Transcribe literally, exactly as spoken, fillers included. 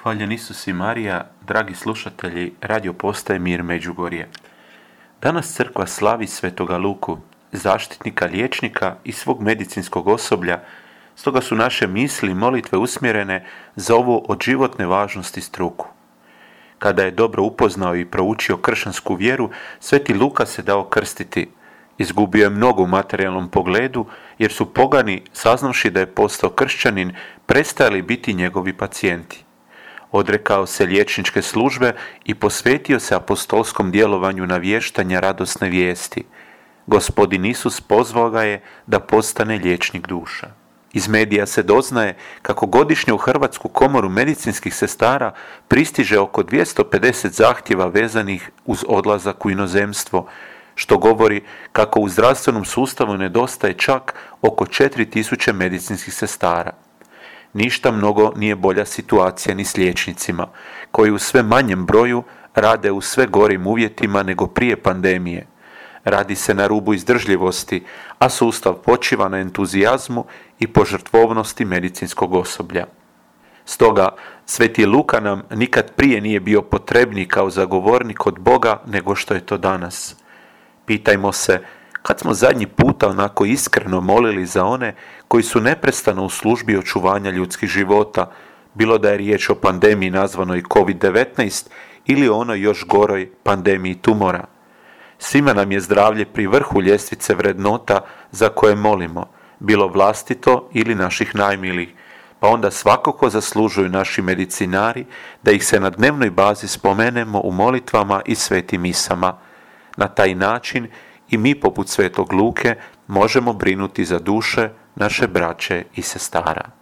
Hvaljen Isus i Marija, dragi slušatelji Radio Postaje Mir Međugorje. Danas crkva slavi svetoga Luku, zaštitnika liječnika i svog medicinskog osoblja, stoga su naše misli i molitve usmjerene za ovu od životne važnosti struku. Kada je dobro upoznao i proučio kršćansku vjeru, sveti Luka se dao krstiti. Izgubio je mnogo u materijalnom pogledu, jer su pogani, saznavši da je postao kršćanin, prestajali biti njegovi pacijenti. Odrekao se liječničke službe i posvetio se apostolskom djelovanju navještanja radosne vijesti. Gospodin Isus pozvao ga je da postane liječnik duša. Iz medija se doznaje kako godišnje u Hrvatsku komoru medicinskih sestara pristiže oko dvjesto pedeset zahtjeva vezanih uz odlazak u inozemstvo, što govori kako u zdravstvenom sustavu nedostaje čak oko četiri tisuće medicinskih sestara. Ništa mnogo nije bolja situacija ni s liječnicima, koji u sve manjem broju rade u sve gorim uvjetima nego prije pandemije. Radi se na rubu izdržljivosti, a sustav počiva na entuzijazmu i požrtvovnosti medicinskog osoblja. Stoga, sveti Luka nam nikad prije nije bio potrebniji kao zagovornik od Boga nego što je to danas. Pitajmo se, kad smo zadnji puta onako iskreno molili za one koji su neprestano u službi očuvanja ljudskih života, bilo da je riječ o pandemiji nazvanoj kovid devetnaest ili o onoj još goroj pandemiji tumora. Svima nam je zdravlje pri vrhu ljestvice vrednota za koje molimo, bilo vlastito ili naših najmilijih, pa onda svakako zaslužuju naši medicinari da ih se na dnevnoj bazi spomenemo u molitvama i svetim misama. Na taj način i mi poput svetog Luke možemo brinuti za duše naše braće i sestara.